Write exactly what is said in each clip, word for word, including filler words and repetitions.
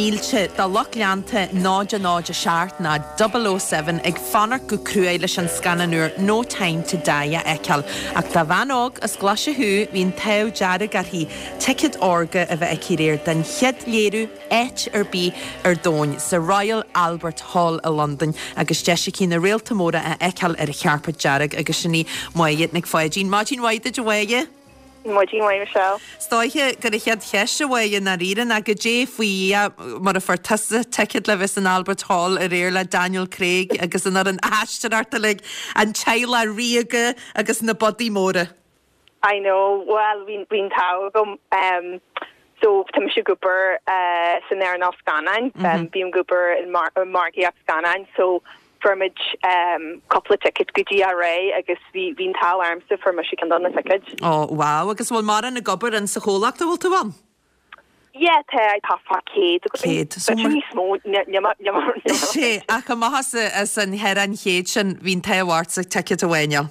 mílte de lucht leanta náid a náid a seacht ná double o seven ag fanacht go cruaidh leis an scannán úr No Time to Die a fheiceáil. Ach dá bhean óg as Glaise thú bhí an t-ádh dearg uirthi ticéad órga a bheith aici aréir don chéad léiriú áit ar bith ar domhan sa Royal Albert Hall i Londain agus deis aici na réalta móra a fheiceáil ar an chairpéad dearg agus sin í Máire Nic Pháidín. Maidin mhaith duit a Mháire. Maidin mhaith Michelle. Is dóiche gur an chéad cheist a Mháire i ndáiríre ná goidé faoi mar a fuair tusa ticéad le bheith san Albert Hall aréir le Daniel Craig agus an fhoireann aisteoireachta uilig, an teaghlach ríoga agus na budaí móra. I know, well bhí bhí an t-ádh agam um, so tá mise ag obair uh, san earnáil scannáin, mm -hmm. um, bím ag obair i mar margaíocht scannáin, so fuair muid um, cúpla ticket go dtí aréir agus bhí bhí an t-ádh ormsa fuair mise ceann de na tickets. Ó wow, agus bhfuil mar an ag obair in sa chomhlacht a bhfuil tú ann? Yeah, tá tá fá céad Céad. So níos mó Sé ach amach as as an cheithre an chéad sin bhí an t-ádh ortsa ticket a bhaint.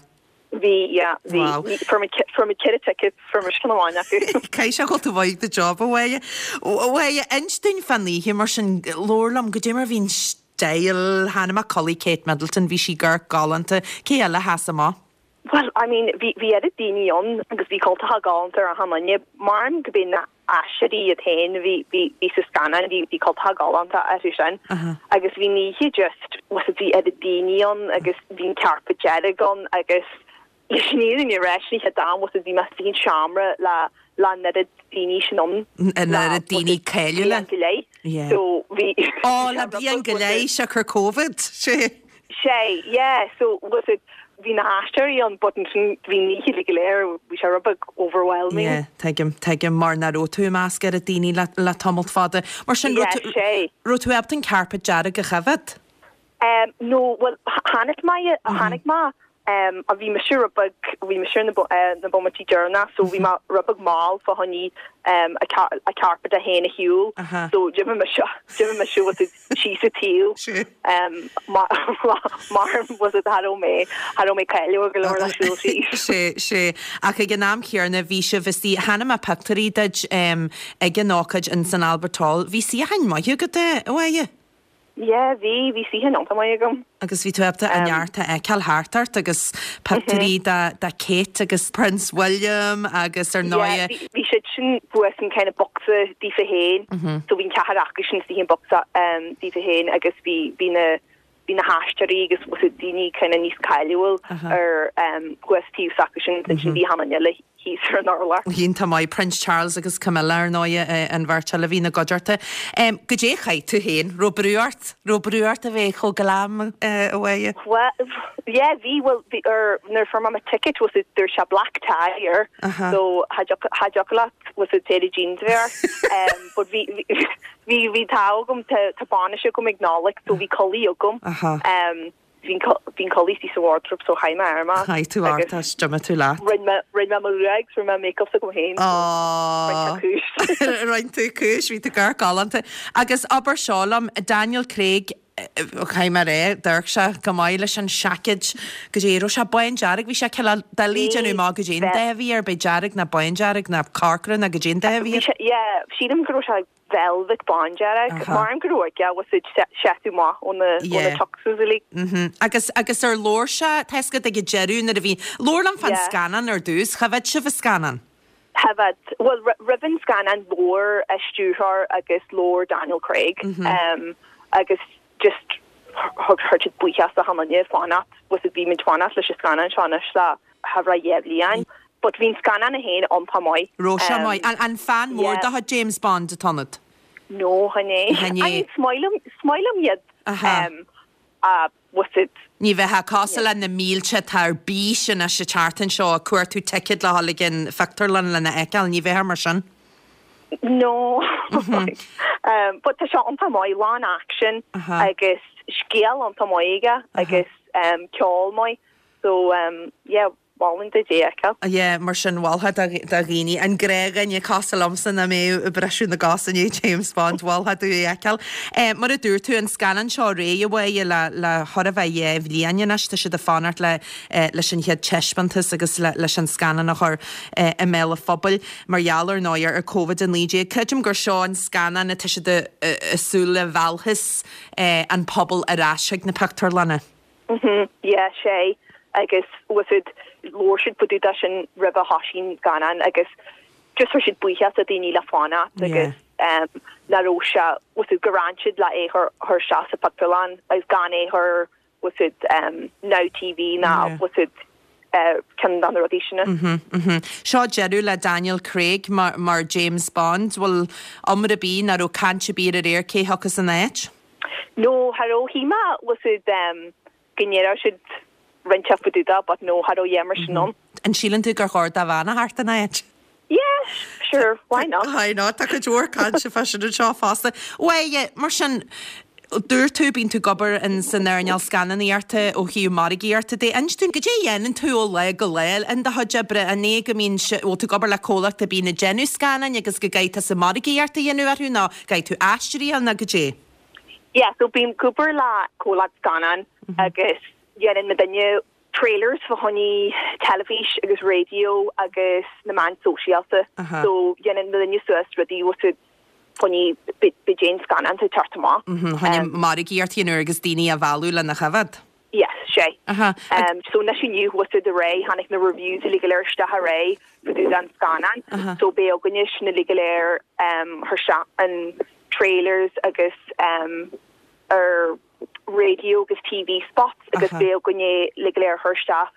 Bhí yeah, bhí fuair muid ceithre ticket fuair mise ceann amháin acu. Caithfidh sé go bhfuil tú maith do job a Mháire. Mháire inis dúinn fán oíche mar sin labhair liom goidé mar bhí an style chonaic mé culaith Kate Middleton bhí sí gur galánta cé eile a sheas amach. Well, I mean, bhí bhí oiread daoine ann agus bhí cultacha galánta ar achan duine mar go b'é na aisteoirí iad féin bhí bhí bhí sa scannán bhí bhí cultacha galánta orthu sin agus bhí an oíche just was bhí oiread daoine ann agus bhí an carpet dearg ann agus leis an fhírinne a rá ní dam was bhí mé sa seomra le le an oiread daoine sin ann. An oiread daoine cáiliúla. go leith. Yeah. So bhí Ó le bliain go leith siocair COVID sé. Sé, yeah, so was it bhí na haisteoirí ann but ansin bhí an oíche go léir bhí sé rud beag overwhelming. Yeah, tuigim tuigim mar nach raibh tú i measc oiread daoine le le tamall fada. Mar sin Yeah, sé. raibh tú ábalta an carpet dearg a choimhéad? Um, no, well, chonaic mé chonaic mé um, a bhí mise rud beag bhí mise na bo- eh, na bomaití deireanacha so bhí mé rud beag mall fá choinne um, a, car a carpet a théana shiúl Aha. so d'imigh mise d'imigh mise was it síos sa taobh Sé. um, mar mar was it cha raibh mé cha raibh mé cáiliúil go leor le siúl síos. Sé sé ach ag an am céanna bhí sibh istigh chonaic mé pictiúirí duit um, ag an ócáid in san Albert Hall. Bhí suíochán maith agat é a Mháire? Yeah, bhí bhí suíochán iontach maith agam. Agus bhí tú ábalta an Um, neart a fheiceáil thart ort agus pictiúirí de de Kate agus Prince William agus ar Yeah, ndóigh. bhí bhí siad sin thuas an kind of boxa daofa féin so bhí an ceathrar acu sin istigh in boxa um, daofa féin agus bhí bhí na bhí na haisteoirí agus was it daoine kind of níos cáiliúil Aha. ar um, thuas taobh s'acu sin sin bhí achan duine thíos ar an urlár. Iontach maith Prince Charles agus Camilla ar ndóigh an bheirt eile a bhí ina gcuideachta. Um, Goidé chaith tú féin, raibh brú ort, raibh brú ort a bheith chomh glam uh, a Mháire. Well, yeah, bhí well bhí ar nuair fuair mé ticket was it there's a black tie air Aha. so cha thiocfadh leat was it pair of jeans there um, but bhí bhí bhí tá agam tá tá bainis agam ag Nollaig so bhí culaith agam Aha. um, bhí bhí culaith sa wardrobe so chaith mé air mé Chaith tú ort as d'imigh tú leat. Rinne mé rinne mé mo ghruaig rinne mé makeup agam féin Oh. Rinne tú cúis bhí tú gur galánta. Agus abair seo liom Daniel Craig chaith mar é d'amharc sé go maith leis an seaicéad go dtí raibh sé bándearg bhí sé cineál doiligh déanamh amach goidé an dath a bhí air bé dearg ná bándearg ná corcra ná goidé an dath a bhí air. Yeah, sílim go raibh sé velvet bándearg Aha. mar go raibh yeah, was it seú maith ó na ó na Yeah. tuxes uilig. Mhm. Agus agus ar labhair sé teasca ag deireadh nuair a bhí labhair liom fán Yeah. scannán ar dtús, choimhéad sibh an scannán. Hefyd, well, roimh an scannán labhair an stiúrthóir agus labhair Daniel Craig um, agus just thug chuir siad buíochas le achan duine fanacht was it bhí muid fanacht leis an scannán seo anois le thar dhá bhliain. But bhí an scannán é féin iontach maith. Raibh sé Um, maith an an fan mór yeah. de James Bond atá ionat. No chan é. Chan é. I mean, smilim smilim iad Aha. um, uh, was it Ní bheith cosúil le na mílte atá ar bís anois an tseachtain seo ag cuartú ticket le dhul ag an phictiúrlann lena fheiceáil, ní bheith mar sin. No. um, but tá sé iontach maith lán action Aha. agus scéal iontach maith aige agus um, ceol maith. So um, yeah, mholfainn duit é a fheiceáil. Yeah, mar sin mholfá do dhaoine, an gnáthdhuine cosúil liomsa nach mbeadh ag briseadh na gcos i ndiaidh James Bond, mholfá dóibh é a fheiceáil. Mar a dúirt tú, an scannán seo réidh a Mháire le le chóir a bheith dhá bhliain anois, tá siad ag fanacht le leis an chéad taispeántas agus le leis an scannán a chur i mbéal an phobail mar gheall ar ndóigh ar Covid a naoi déag. Creidim gur seo an scannán atá siad ag súil le mheallfas an pobal ar ais chuig na pictiúrlanna. Mhm, yeah, sé agus bhfuil a fhios a'd, labhair siad fá dtaobh de sin roimh a thoisigh an scannán agus just chuir siad buíochas le daoine le fanacht agus um, nach raibh sé, bhfuil a fhios a'd, gur fhan siad le é chur chur isteach sa phictiúrlann agus gan é chur, bhfuil a fhios a'd, um, Now TV ná Yeah. bhfuil a fhios a'd, uh, ceann de na rudaí sin. Mhm, mhm. Seo deireadh le Daniel Craig mar, mar James Bond, bhfuil iomrá ar bith ná raibh caint ar bith aréir cé thiocfas ina áit? No, cha raibh, shíl mé, bhfuil a fhios a'd, um, go ndéarfadh siad roinnt fá dtaobh de but no, cha raibh a dhath mar sin ann. An síleann tú gur chóir do bhean a theacht ina áit? Yeah, sure, why not? Why not? Tá cuid mhór cainte fá sin anseo fosta. Bhuel, mar sin, dúirt tú, bíonn tú ag obair in san earnáil scannánaíochta ó thaobh margaíochta de. Inis dúinn, goidé a dhéanann tú ó lá go lá in do chuid oibre? An é go mbíonn, bhfuil tú ag obair le comhlacht a bíonn ag déanamh scannáin agus go gcaithfidh tusa margaíocht a dhéanamh orthu nó gcaithfidh tú aisteoirí a fháil nó goidé? Yeah, so bím ag obair le comhlacht scannán agus dhéanann muidinne trailers fá choinne teilifís agus raidió agus na meáin sóisialta. Aha. So dhéanann muidinne suas rudaí bhfuil a fhios a'd fá choinne b'fhéidir aon scannán atá ag teacht amach. Mhm, Choinne margaíocht a dhéanamh agus daoine a mhealladh lena choimhéad. Yes, sé. Aha. Um, so anois inniu bhfuil a fhios a'd aréir, tháinig na reviews uilig go léir isteach aréir fá dtaobh den scannán. Aha. So beidh againne sin uilig go léir um, thar se an trailers agus um, ar radio agus TV spots agus Aha. beidh againne uilig go léir thar isteach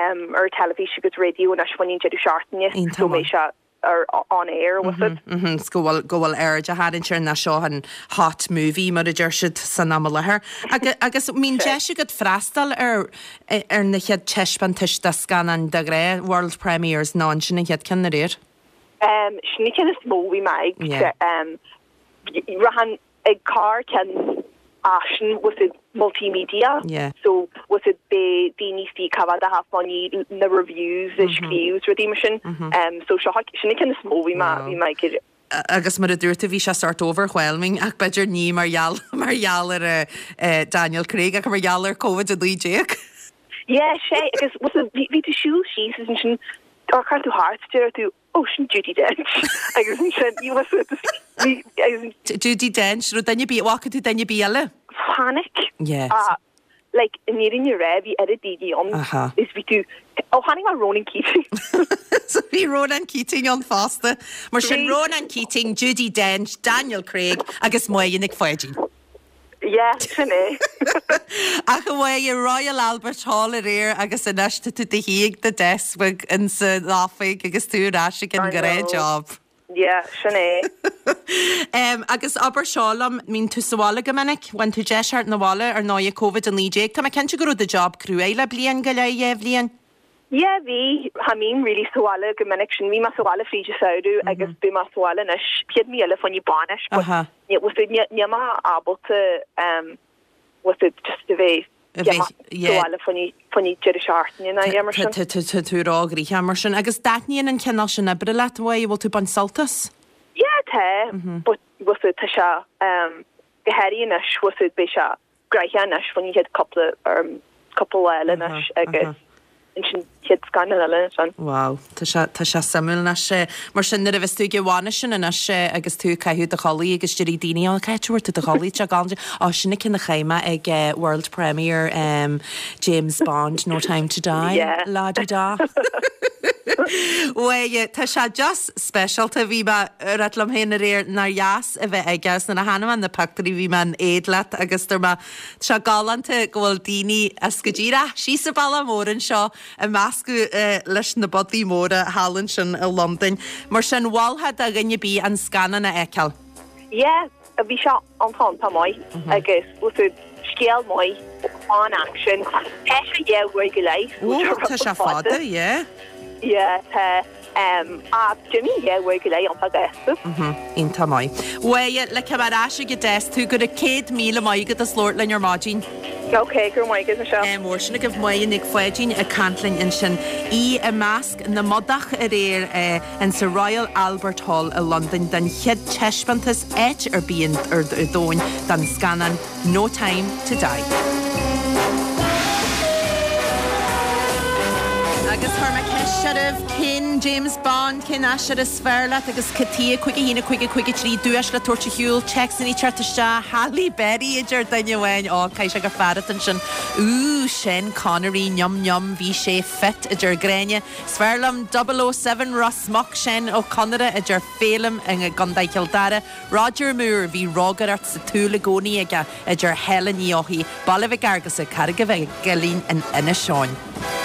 um, ar teilifís agus radio anois fá choinne an deireadh seachtaine. Iontach So maith. beidh sé ar on air bhfuil a fhios a'd. Mhm, 's go bhfuil go bhfuil aird á tharraingt air ná seo an hot movie mar a deir siad san am i láthair. Agus agus mbíonn deis agat freastal ar ar na chéad taispeántais de scannáin de ghnáth world premieres ná an sin an chéad ceann aréir. Um, sin an ceann is mó bhí mé ag Yeah. um, rachainn ag corr ceann asin bhfuil a fhios a'd multimedia. Yeah. So bhfuil a fhios a'd beidh daoine istigh coimhéad a fá choinne na reviews a scríobh rudaí mar sin. Um, so seo sin an ceann is mó bhí mé Wow. bhí mé ag agus mar a dúirt tú bhí sé sort overwhelming ach b'fhéidir ní mar gheall mar gheall ar uh, uh, Daniel Craig ach mar gheall ar COVID a naoi déag. Yeah, sé agus bhfuil a fhios a'd bhí bhí tú siúl síos agus ansin amharcann tú thart deir tú oh sin Judi Dench agus ansin you was bhí agus Judi Dench ro duine bí bhfaca tú duine ar bith eile? panic. Yeah. Ah, like in fhírinne rá bhí oiread daoine ann Aha. is bhí tú ó tháinig mar Ronan Keating. So bhí Ronan Keating ann fosta, mar sin Bhí. Ronan Keating, Judi Dench, Daniel Craig agus Máire Nic Pháidín. Yeah, sin é. Ach a Mháire Royal Albert Hall aréir agus anois tá tú i do shuí ag do desk in san oifig agus tú ar ais ag an I know. gnáthjob. Yeah, sin é. Um, agus abair seo liom mbíonn tú sa bhaile go minic, bhain tú deis theacht 'na bhaile ar ndóigh COVID a naoi déag, Tá mé cinnte go raibh do job cruaidh le bliain go leith dhá bhliain. Yeah, bhí cha mbím really sa bhaile go minic sin bhí mé sa bhaile fríd an samhradh agus bhí mé sa bhaile anois chéad mí eile fá choinne bainis, but Aha. ní bhfuil a fhios a'd níl mé ábalta um, bhfuil a fhios a'd just a bheith A yeah, bheith- ma yeah. sa bhaile fá choinne fá choinne deireadh seachtaine ná yeah, mar sin. Tá tú róghnoitheach mar sin, agus taitníonn an cineál sin oibre leat bhfuil bhfuil tú ag baint sult as? Yeah, tá, but bhfuil a fhios a'd tá sé um, go háirithe anois bhfuil a fhios a'd beidh sé gnoitheach anois fá choinne chéad cúpla um, cúpla lá eile anois agus ansin chéad scannán eile ansin. Wow, tá sé tá sé suimiúil anois sé mar sin nuair a bheas tú ag an bhainis sin anois sé agus tú ag caitheamh do chulaith agus déarfaidh daoine á cá bhfuair tú do chulaith te gan á sin an ceann a chaith mé ag uh, World Premiere um, James Bond No Time to Die Yeah. la di da. Well, tá sé just speisialta bhí mé ag rá liom féin aréir nár dheas a bheith aige agus nuair a chonaic mé na pictiúirí bhí mé in éad leat agus dúirt mé sé galánta go bhfuil daoine as go díreach síos an bealach mór anseo ag meascadh uh, leis na bodaí móra thall ansin i Londain. Mar sin mholfá do dhuine ar bith an scannán a fheiceáil. Yeah, a bhí sé an tá maith agus bhfuil a fhios a'd scéal maith an action. Tá sé dhá uair go leith. Ó tá sé fada, yeah. Yeah, tá um, a Jimmy dhá uair go leith an gasta. Iontach maith. Bhuel le cem ar ais go deas tú go a céad míle maith agat as labhairt linn ar maidin. Ok, go raibh maith agat Michelle. Ádh mór. Sin agaibh Máire Nic Pháidín ag caint linn ansin. Í i measc na mbodach aréir in sa Royal Albert Hall i Londain don chéad taispeántas áit ar bith ar domhan den scannán No Time to Die. Agus chuir mé ceist oraibh, cén James Bond, cén aisteoir is fearr leat agus cad chuige, cúig a haon a cúig a cúig a trí, duais le tabhairt ar shiúl, téacsanna ag teacht isteach, Halle Berry a deir duine amháin, ó, caithfidh sé gur fear atá ansin, Ooh, Sean Connery, yum yum, bhí sé fit, a deir Gráinne, Is fearr liom double oh seven Ros Muc, Seán Ó Conaire, a deir Féilim i gContae Chill Dara, Roger Moore, bhí rógaireacht sa tsúil i gcónaí aige, a deir Helen Ní Eochaidh, Baile Mhic Fhearghusa, Carraig an Mhuilinn in Inis Eoghain.